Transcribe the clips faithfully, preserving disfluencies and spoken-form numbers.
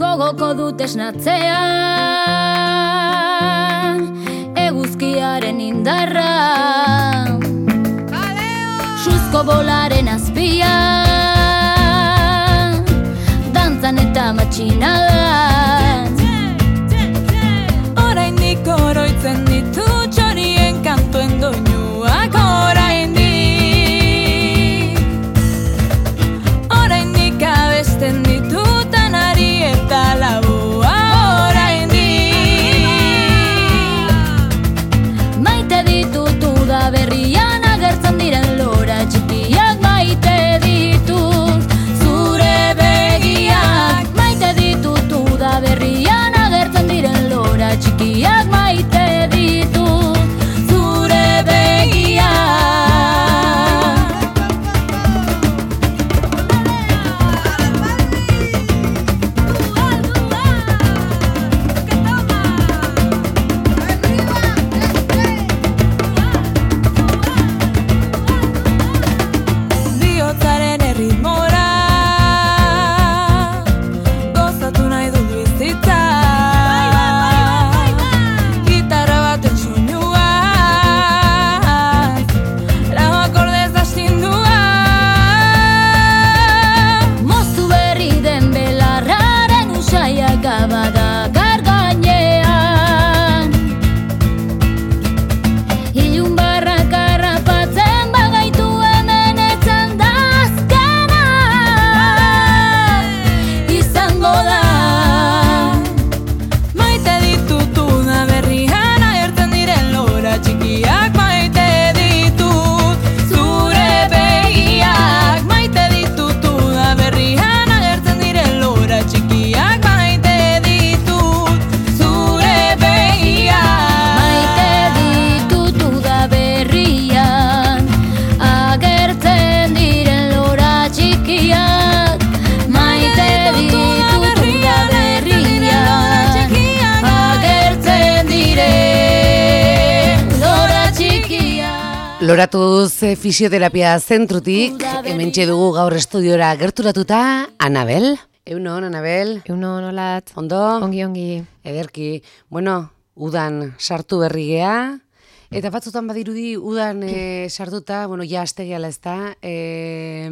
Gogoko dut esnatzea, eguzkiaren indarra, suzko bolaren azpia, dantzan eta matxinadan. Oraindik oroitzen ditu txorien kantuen doinuak, oraindik Oraindik abesten ditutan ari eta labua, oraindik Maite ditut uda berrian agertzen diren lora txikiak, maite ditut zure begiak. Maite ditut uda berrian agertzen diren lora txikiak, maite ditut zure begiak. Bihotzaren erritmora gozatu nahi dut bizitza, gitarra baten soinuaz, lau akordez astindua. Moztu berri den belarraren usaiak abadakar gainean, ilun barrak harrapatzen bagaitu hemen etzan dazkana izango da. Maite ditut uda berrian agertzen diren lora txikiak, maite ditut zure begiak. Maite ditut uda berrian agertzen diren lora txikiak, maite ditut zure begiak. Maite ditut uda berrian agertzen diren lora txikiak. Maite ditut uda berrian agertzen diren lora txikiak. Loratuz eh, fisioterapia zentrutik, hementxe dugu gaur estudiora gerturatuta, Anabel. Eunon, Anabel. Euno nolat, Ondo? ongi ongi. Ederki. Bueno, udan sartu berri gea, eta batzutan badirudi udan eh, sartuta, bueno, ja aste gehala ez da, eh,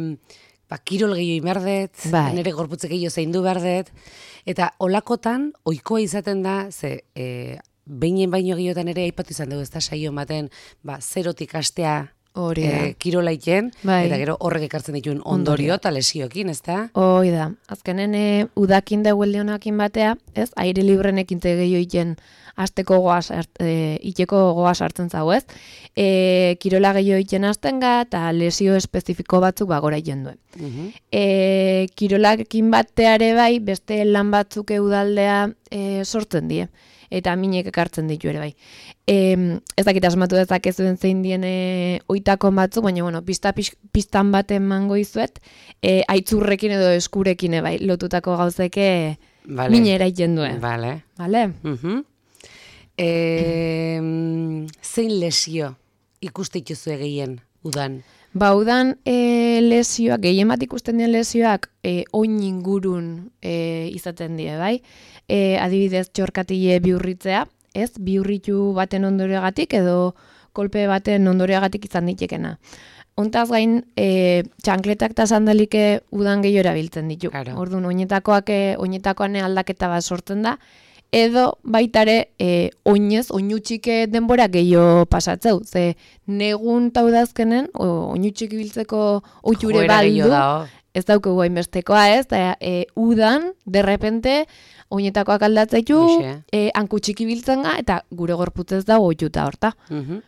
ba, kirol gehiago inberdet, Bai. nire gorputze gehiago zaindu berdet, eta olakotan, ohikoa izaten da, ze, eh, beinen baino gehiotan ere aipatu izan dugu, ez da saio baten, ba, zerotik astea Hori da. eh, kirolaiken, Bai. eta gero horrek ekartzen dituen ondorio eta lesiokin, ez da? Hoi da, azkenen e, udakin da huelde honakin batea, ez, aire librenekin te gehiago iten asteko goaz, e, iteko goaz hartzen zau, ez? E, kirola gehiago iten azten ga, eta lesio espezifiko batzuk bagora iten duen. Mhm. E, kirolakin bateare bai, beste lan batzuk udaldea e, sortzen die, eta minek ekartzen ditu ere bai. E, ez dakit asmatu dezakezuen zein dien e, oitakon batzuk, baina bueno, pista, pis, pistan baten mango izuet, e, aitzurrekin edo eskurekin bai, lotutako gauzeke Vale. mine eraiten duen. Vale. Vale? Mhm. Eh, zein lesio ikuste ituzue gehien udan? Ba, udan e, lesioak, gehien bat ikusten dien lesioak e, oin ingurun e, izaten die, bai? E, adibidez, txorkatile bihurritzea, ez? Bihurritu baten ondorioagatik edo kolpe baten ondorioagatik izan ditekena. Hontaz gain, e, txankletak eta sandalike udan gehiago erabiltzen ditu. Claro. Orduan, oinetakoak, e, oinetakoan aldaketa bat sortzen da, edo baitare e, oinez, oinutxike denbora gehiago pasatzeu. Ze negun taudazkenen, oinutxik ibiltzeko oiture Joera gehiago baldu, dago. ez daukagu hainbestekoa ez, eta e, udan, derrepente, oinetakoak aldatzaitu, Hoxe. e, hankutxik ibiltzen ga, eta gure gorputzez dago oituta horta. Mhm.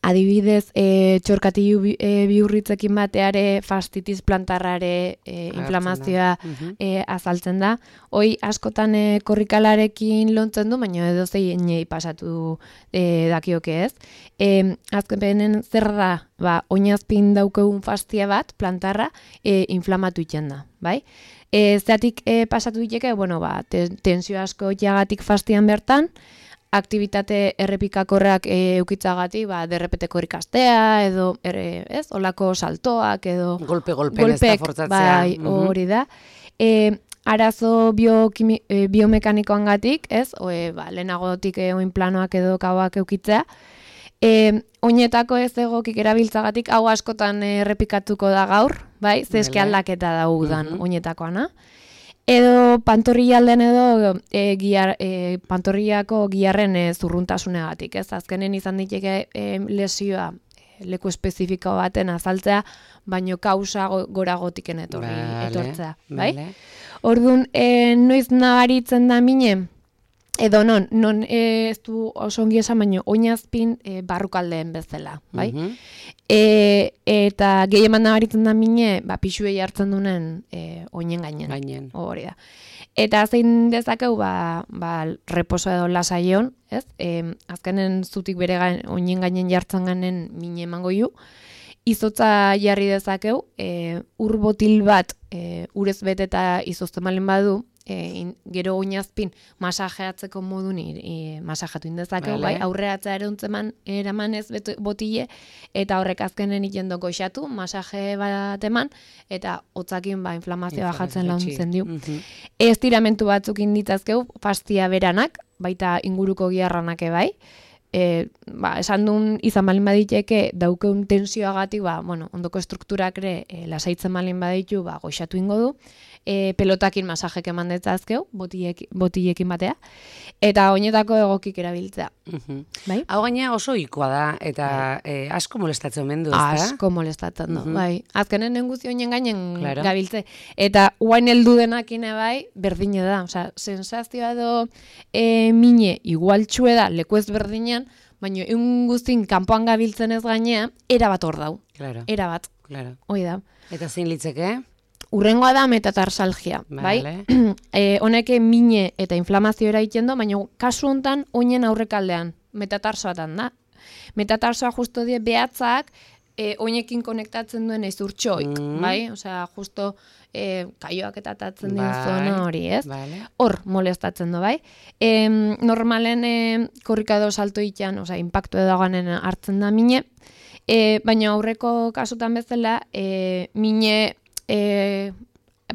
Adibidez, e, txorkatilu bi, e, bihurritzekin bateare fastitis plantarrare e, Agertzen inflamazioa da. Mhm. e, azaltzen da. Hoi askotan e, korrikalarekin lontzen du, baina edo zeinei pasatu e, dakioke ez. E, azkenen zer da, ba, oinazpin daukegun fastia bat, plantarra, e, inflamatu iten da, bai? E, zeatik e, pasatu diteke, bueno, ba, te, tensio asko jagatik fastian bertan, aktivitate errepikakorrak e, eukitzagatik, ba, derrepeteko ikastea, edo, ere, ez, olako saltoak, edo Golpe-golpen ez da golpek, fortzatzea. bai, Mhm. hori da. E, arazo biokimi, e, biomekanikoangatik, ez? O, e, ba, lehenagotik e, oin planoak edo kauak eukitzea. E, oinetako ez egokik erabiltzagatik hau askotan errepikatuko da gaur, bai? Zeske aldaketa da udan uh-huh. oinetakoana. Edo pantorrialden edo e, giar, e, pantorriako giarren e, zurruntasunegatik, ez? Azkenen izan diteke e, lesioa leku espezifiko baten azaltzea, baino kausa goragotiken etorri vale, etortzea, bai? Vale. Orduan, e, noiz nabaritzen da mine, edo non, non e, ez du oso ongi esan, baino oinazpin e, barrukaldeen bezala, bai? Uh-huh. E, eta gehieman nabaritzen da mine, ba, pixuei hartzen dunen e, oinen gainen. Gainen. Hori da. Eta zein dezakeu, ba, ba, reposo edo lasaion, ez? E, azkenen zutik bere gain, oinen gainen jartzen ganen mine emango ju. Izotza jarri dezakeu, e, ur botil bat e, urez beteta izozten malen badu, e, in, gero oinazpin masajeatzeko modun e, masajatu indezakeu, vale. Bai, aurreatzea eruntzeman eraman ez botile, eta horrek azkenen ikendo goxatu, masaje bat eman, eta hotzakin ba, inflamazioa bajatzen launtzen diu. Uh-huh. Ez tiramentu batzuk inditzazkeu, fastia beranak, baita inguruko giarranak bai, E, ba, esan duen izan balin baditeke daukeun tensioagatik, ba, bueno, ondoko strukturak ere e, lasaitzen balin baditu, ba, goxatu ingo du, e, pelotakin masajek eman detzazkeu, botilekin, botilekin batea, eta oinetako egokik erabiltzea. Uh-huh. Bai? Hau gaina oso ikoa da, eta e, asko molestatzen omen du, ezta? Asko molestatzen du, uh-huh. bai. Azkenen nenguzi oinen gainen claro. Gabiltze. Eta guain heldu denakine bai, berdine da. Osea, sensazioa edo e, mine igualtxue da, leku ez berdinean, baina egun guztin kanpoan gabiltzen ez gainea, erabat hor dau. Claro. Erabat. Claro. Hoi da. Eta zein litzeke? Urrengoa da metatarsalgia, vale. Bai? E, honeke mine eta inflamazio eraiten du, baina kasu hontan oinen aurrekaldean, metatarsoatan da. Metatarsoa justo die behatzak e, oinekin konektatzen duen ez urtsoik, mm. bai? Osea, justo e, kaioak eta tatzen dien bai. Zona hori, ez? Vale. Hor molestatzen du, bai? E, normalen e, korrikado salto itean, osea, impactu edo ganen hartzen da mine, e, baina aurreko kasutan bezala, e, mine E,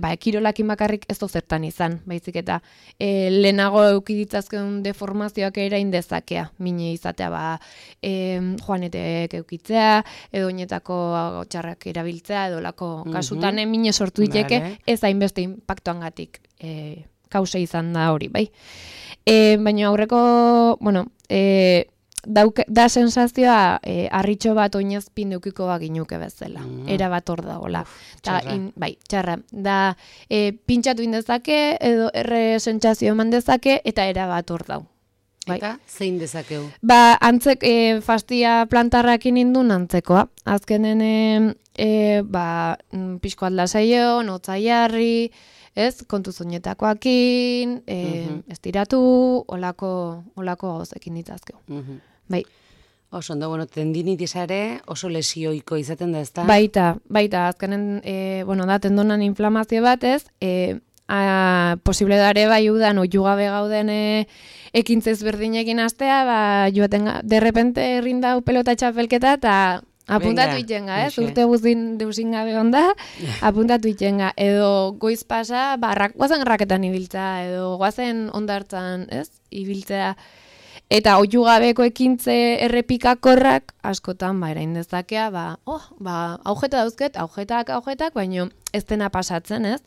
ba, kirolakin bakarrik ez zertan izan, baizik eta e, lehenago eukiditzazkeun deformazioak erain dezakea, mine izatea, ba, e, joanetek eukitzea, edo oinetako txarrak erabiltzea, edo lako mm-hmm. kasutan mine sortu diteke, vale. Ez hainbeste impactuangatik e, kausa izan da hori, bai. E, baina aurreko, bueno, e, Dauke, da sensazioa e, arritxo bat oinazpin deukiko baginuke bezala. Mm. Era bat hor dagoela. Bai, txarra. Da e, pintxatu indezake, edo erre sentsazio eman dezake, eta era bat hor dau. Bai. Eta zein dezakeu? Ba, antzek, e, fastia plantarrakin indun antzekoa. Azkenen, e, e, ba, pixko atlasaio, notza jarri, ez, kontu zoinetakoakin, e, uh-huh. estiratu, olako, olako gauzekin ditzazkeu. Uh-huh. Bai. Oso, ondo, bueno, tendinitis ere oso lesioiko izaten da, ezta? Baita, baita, azkenen, e, bueno, da, tendonan inflamazio bat, ez, e, a, posible dare bai udan, oiu gabe gauden e, ekintzez berdinekin astea, ba, joaten, derrepente errindau pelota txapelketa, eta apuntatu itenga, ez? Urte guztin deusin gabe onda, apuntatu itenga. Edo goiz pasa, ba, rak, guazen raketan ibiltza, edo guazen ondartzan, ez? Ibiltzea. Eta oiu gabeko ekintze errepikakorrak, askotan, ba, erain dezakea, ba, oh, ba, aujeta dauzket, aujetak, aujetak, baino ez dena pasatzen, ez?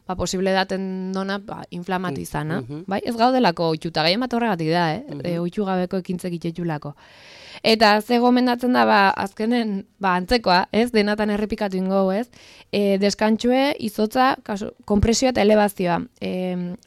Ba, posible daten dona, ba, inflamatu izana. Uh-huh. Bai, ez gaudelako oitxuta, gehien bat horregatik da, eh? Uh-huh. E, oitxu gabeko ekintzek itxetxulako. Eta ze gomendatzen da, ba, azkenen, ba, antzekoa, ez, denatan errepikatu ingo, ez, e, deskantxue, izotza, kasu, kompresioa eta elebazioa. E,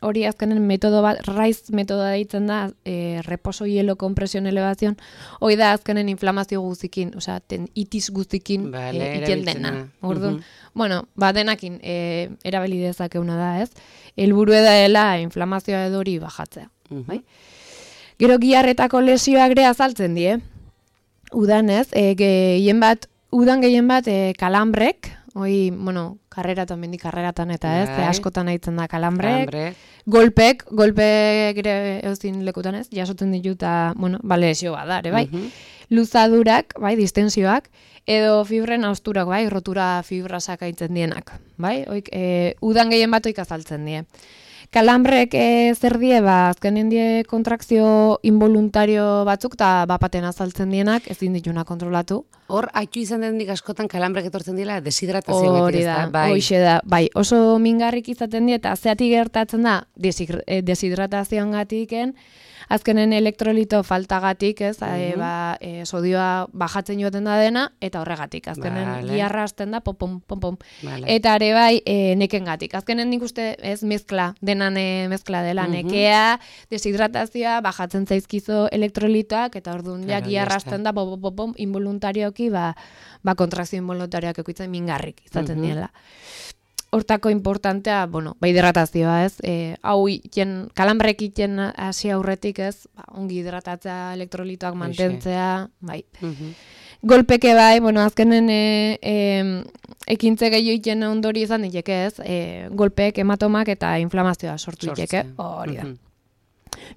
hori azkenen metodo bat, raiz metodoa deitzen da, e, reposo hielo kompresion elebazion, hori da azkenen inflamazio guztikin, osea, ten itis guztikin vale, e, iten dena. Orduan, uh-huh. bueno, ba, denakin, e, erabili dezakeuna da, ez, helburu edaela inflamazioa edo hori bajatzea, uh-huh. bai? Gero giarretako lesioak ere azaltzen die, udan ez, e, gehien bat, udan gehien bat e, kalambrek, hoi, bueno, karreratan, mendik karreratan eta ez, Bai. askotan aitzen da kalambrek, Kalambre. golpek, golpek ere euzin lekutan ez, jasotzen ditu eta, bueno, bale lesio bat da, ere, bai. Mhm. Luzadurak, bai, distensioak, edo fibren austurak, bai, rotura fibrasak aitzen dienak, bai, oik, e, udan gehien bat oik azaltzen die. Kalambrek e, zer die, ba, azkenen die kontrakzio involuntario batzuk, eta bapaten azaltzen dienak, ezin dituna kontrolatu. Hor, haitu izan denik askotan kalambrek etortzen dira deshidratazio Hori da, hoxe da, bai, oso mingarrik izaten die, eta zeatik gertatzen da, deshidratazioangatiken, azkenen elektrolito faltagatik, ez, e, ba, e, sodioa bajatzen joaten da dena, eta horregatik, azkenen Vale. giarra hasten da, pom, pom, pom, pom. Vale. Eta ere bai, e, nekengatik. Azkenen nik uste ez mezkla, denan e, mezkla dela, nekea, deshidratazioa, bajatzen zaizkizo elektrolitoak, eta orduan ja Claro, giarra ya está. hasten da, pom, pom, pom, involuntarioki, ba, ba kontrazio involuntarioak ekoitzen mingarrik izaten diela. Hortako importantea, bueno, bai hidratazioa, ez? E, hau iten, kalambrek iten hasi aurretik, ez? Ba, ongi hidratatzea, elektrolitoak mantentzea, bai. Mhm. Golpeke bai, bueno, azkenen e, e, ekintze gehiago iten ondori izan diteke, ez? E, golpek, hematomak eta inflamazioa sortu diteke. Sortzen. Hori da. Mhm.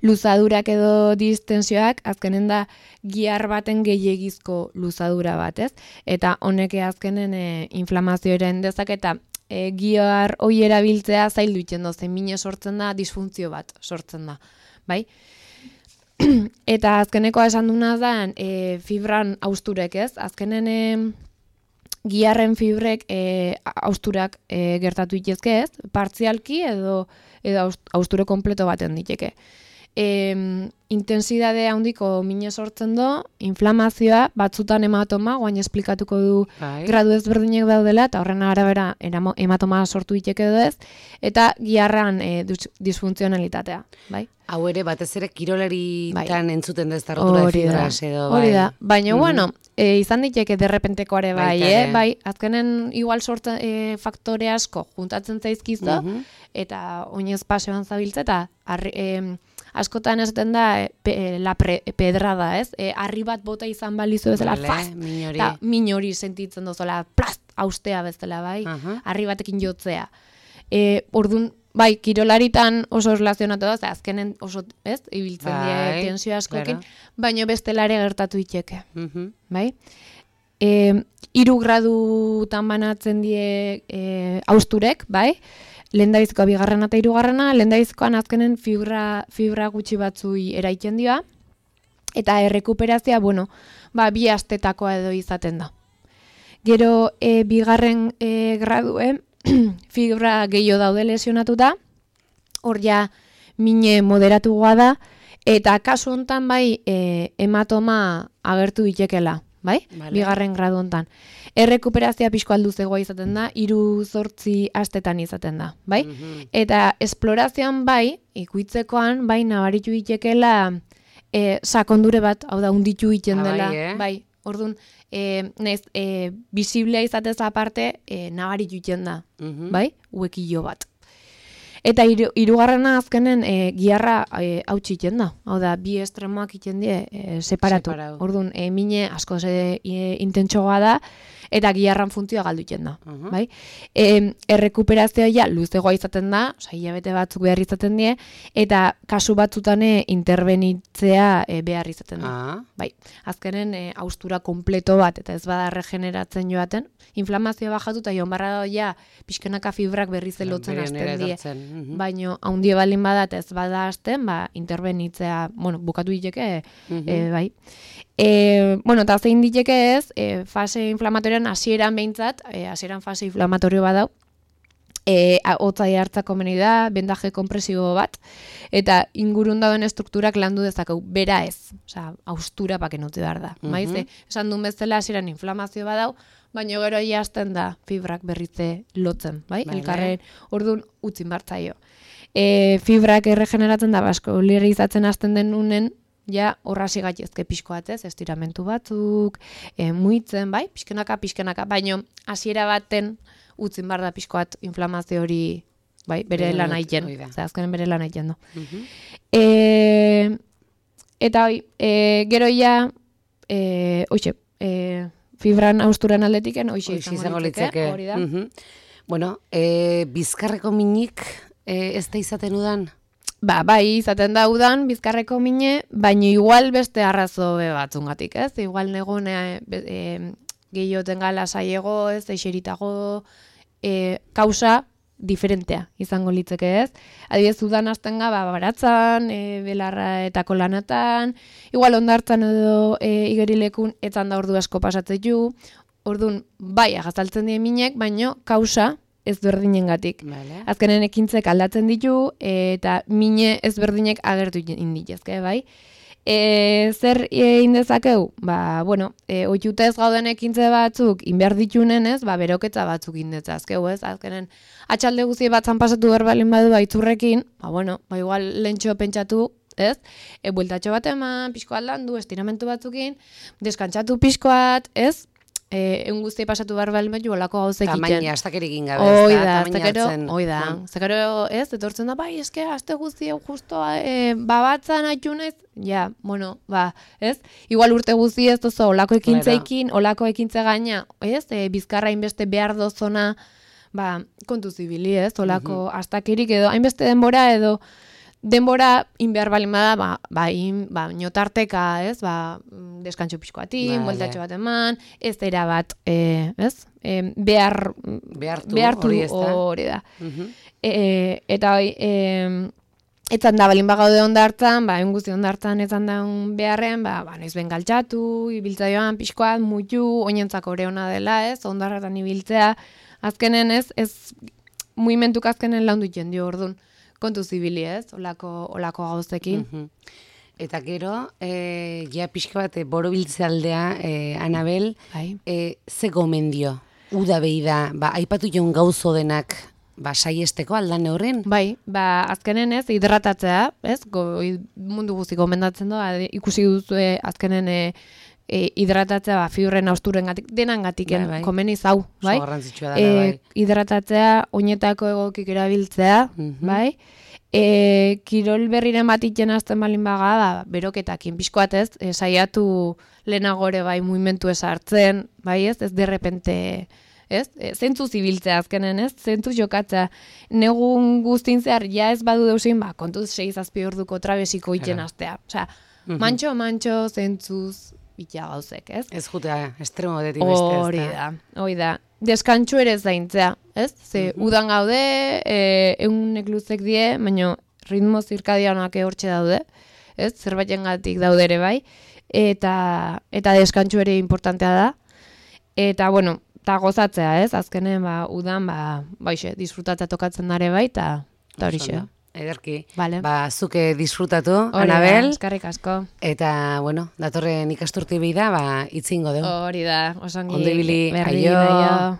Luzadurak edo distensioak, azkenen da giar baten gehiegizko luzadura bat, ez? Eta honek azkenen e, inflamazioaren dezaketa, e, giar hoi erabiltzea zaildu iten dozen, mine sortzen da, disfuntzio bat sortzen da, bai? Eta azkenekoa esan duna da, e, fibran austurek, ez? Azkenen e, giarren fibrek e, austurak e, gertatu itezke, ez? Partzialki edo, edo aust- austure kompleto baten diteke. E, intensidade handiko mine sortzen do, inflamazioa, batzutan hematoma, guain esplikatuko du Bai. gradu ezberdinek daudela, eta horren arabera eramo- hematoma sortu diteke edo ez, eta giarran e, dus- disfuntzionalitatea, bai? Hau ere, batez ere kirolaritan entzuten dez rotura de Hori da, fibras edo, bai. hori da. Baina, Mhm. bueno, e, izan diteke derrepentekoare bai, Baita eh? ere. Bai, azkenen igual sortzen e, faktore asko juntatzen zaizkizo, Mhm. eta oinez paseoan zabiltza, eta arri, e, askotan esaten da e, pe, e, la pre, pedrada, ez? E, harri bat bota izan balizu bezala, Vale, fast, min hori. eta min hori sentitzen dozola, plast, austea bezala, bai? Aha. Harri batekin jotzea. E, ordun bai, kirolaritan oso erlazionatu da, ze azkenen oso, ez, ibiltzen Bai, die tensio askokin, claro. baino bestelare gertatu itxeke, Mhm. bai? E, iru gradutan banatzen die e, austurek, bai? Lehendaizkoa bigarrena eta hirugarrena, lehendaizkoan azkenen fibra, fibra gutxi batzui eraiten dira, eta errekuperazioa, bueno, ba, bi astetakoa edo izaten da. Gero, e, bigarren e, graduen, fibra gehiago daude lesionatuta, hor ja mine moderatugoa da, eta kasu hontan bai e, hematoma agertu ditekela, bai? Vale. Bigarren gradu hontan. Errekuperazioa pixko alduzegoa izaten da, hiru zortzi astetan izaten da, bai? Mhm. Eta esplorazioan bai, ikuitzekoan bai nabaritu ditekela e, sakondure bat, hau da, unditu iten Ah, bai, dela, eh? bai, orduan, e, naiz, e, bisiblea izatez aparte, e, nabaritu iten da, Mhm. bai, uekillo bat. Eta hiru- hirugarrena azkenen e, giarra e, hautsi iten da, hau da, bi estremoak iten die e, separatu. Separatu. Orduan, e, mine asko ze e, intentsoa da, eta giarran funtzioa galdu iten da, Mhm. bai? E, errekuperazioa ja luzegoa izaten da, osea, hilabete batzuk behar izaten die, eta kasu batzutan e, interbenitzea e, behar izaten da. Ah, Bai, azkenen e, austura kompleto bat, eta ez bada regeneratzen joaten, inflamazioa bajatu eta joan barra ja pixkenaka fibrak berriz elotzen bere onera hasten die. etortzen. Mhm. Baino, haundie baldin bada eta ez bada hasten, ba, interbenitzea, bueno, bukatu diteke, Mhm. e, bai. E, bueno, eta zein diteke ez, e, fase inflamatorioan hasieran behintzat, e, hasieran fase inflamatorio badau, e, hotzai hartzako meni da, bendaje kompresibo bat, eta ingurun dauden estrukturak landu dezakeu, bera ez, osea, austura baken utzi behar da. Mhm. Maiz, e, esan duen bezala hasieran inflamazio badau, baina gero ja hasten da fibrak berrize lotzen, bai? Vale. Elkarren, orduan utzin bartzaio. E, fibrak erregeneratzen da, basko, izatzen hasten den unen, ja horrasi gaitezke pixko batez, estiramentu batzuk, e, muitzen, bai? Pixkenaka, pixkenaka, baino hasiera baten utzin bar da pixko bat inflamazio hori, bai, bere Bere lan lot- aiten. hoi da. Zer, azkenen bere lan aiten du. Mhm. E, eta hoi, e, gero ja, e, oixe, e, fibran austuran aldetiken, hoxe Hoxe izango litzeke, hori da. Mhm. Bueno, e, bizkarreko minik e, ez da izaten udan? Ba, bai, izaten da udan, bizkarreko mine, baina igual beste arrazo batzungatik, ez? Igual negun e, e, gehioten gala saiego, ez, eixeritago, e, kausa diferentea izango litzeke, ez? Adibidez, udan hasten ga, ba, baratzan, e, belarra eta kolanatan, igual ondartzan edo e, igerilekun etzan da ordu asko pasatzen ju, ordun bai, agazaltzen die minek, baino kausa ezberdinengatik. Vale. Azkenen ekintzek aldatzen ditu eta mine ezberdinek agertu inditezke, bai? E, zer e, indezakeu? Ba, bueno, e, oiutez gauden ekintze batzuk inbehar ditunen, ez? Ba, beroketza batzuk indetzazkeu, ez? Azkenen atxalde guzi batzan pasatu berbalin badu baitzurrekin, ba, bueno, ba, igual lentxo pentsatu, ez? E, bueltatxo bat eman, pixko aldandu, estiramentu batzukin, deskantzatu pixkoat, ez? Eh, egun guzti pasatu behar behar behar olako gauz egiten. Tamaina, astakerik gabe, Oi ez da, tamaina zekero, hartzen. oi da. Zekero, ez, etortzen da, bai, eske, aste guzti hau justoa, e, babatzan haitu naiz, ja, bueno, ba, ez? Igual urte guzti ez dozo, olako ekintzeikin, olako ekintze gaina, ez? E, bizkarra hainbeste behar dozona, ba, kontu zibili, ez? Olako uh-huh. astakerik edo, hainbeste denbora edo, denbora inbehar balin bada, ba, ba, in, ba notarteka, ez, ba, deskantxo pixkoatin, vale. Bueltatxo bat eman, ez era bat, e, ez, e, behar, behartu, behartu hori ez da. Hori da. Uh-huh. E, eta hoi, e, etzan da balin bagaude ondartzan, ba, egun guzti ondartzan etzan da beharren, ba, ba, noiz ben galtxatu, ibiltza joan pixkoat, mutu, oinentzako ore hona dela, ez, ondarratan ibiltzea, azkenen ez, ez, mugimentuk azkenen laundu jendio orduan. Kontu zibili, ez, olako, olako gauzekin. Uh-huh. Eta gero, e, ja pixka bat, borobiltze aldea, e, Anabel, Bai. e, ze gomendio, uda behi da, ba, aipatu joan gauzo denak, ba, saiesteko aldan horren? Bai, ba, azkenen ez, hidratatzea, ez, go, mundu guzti gomendatzen doa, ikusi duzue azkenen e, e, hidratatzea, ba, fibren austuren gatik, denan gatiken, bai, bai. Komeni zau, bai? Garrantzitsua da, e, bai. Hidratatzea, oinetako egokik erabiltzea, uh-huh. bai? E, kirol berriren bat iten azten balin baga, ba, beroketakin pixkoat ez, e, saiatu lehenagore bai mugimentu ez hartzen, bai ez, ez derrepente, ez, e, zentzu zibiltzea azkenen ez, zentzu jokatzea, negun guztin zehar, ja ez badu deusin, ba, kontuz sei zazpi orduko trabesiko iten aztea, osea, uh-huh. mantxo, mantxo, zentzuz, bitia gauzek, ez? Ez jutea, estremo detik beste ez da. Hori da, hori da. Deskantxu ere zaintzea, ez? Ze uh-huh. udan gaude, e, egunek luzek die, baina ritmo zirkadianak hortxe daude, ez? Zerbaiten gatik daude ere bai, eta, eta deskantxu ere importantea da. Eta, bueno, eta gozatzea, ez? Azkenen, ba, udan, ba, baixe, disfrutatzea tokatzen dare bai, eta horixe. Ederki. Vale. Ba, zuke disfrutatu, Hori Anabel. Da, eskerrik asko. Eta, bueno, datorren ikasturte behi da, ba, itzingo dugu. Hori da, osongi. Ondo ibili, berri, aio. aio.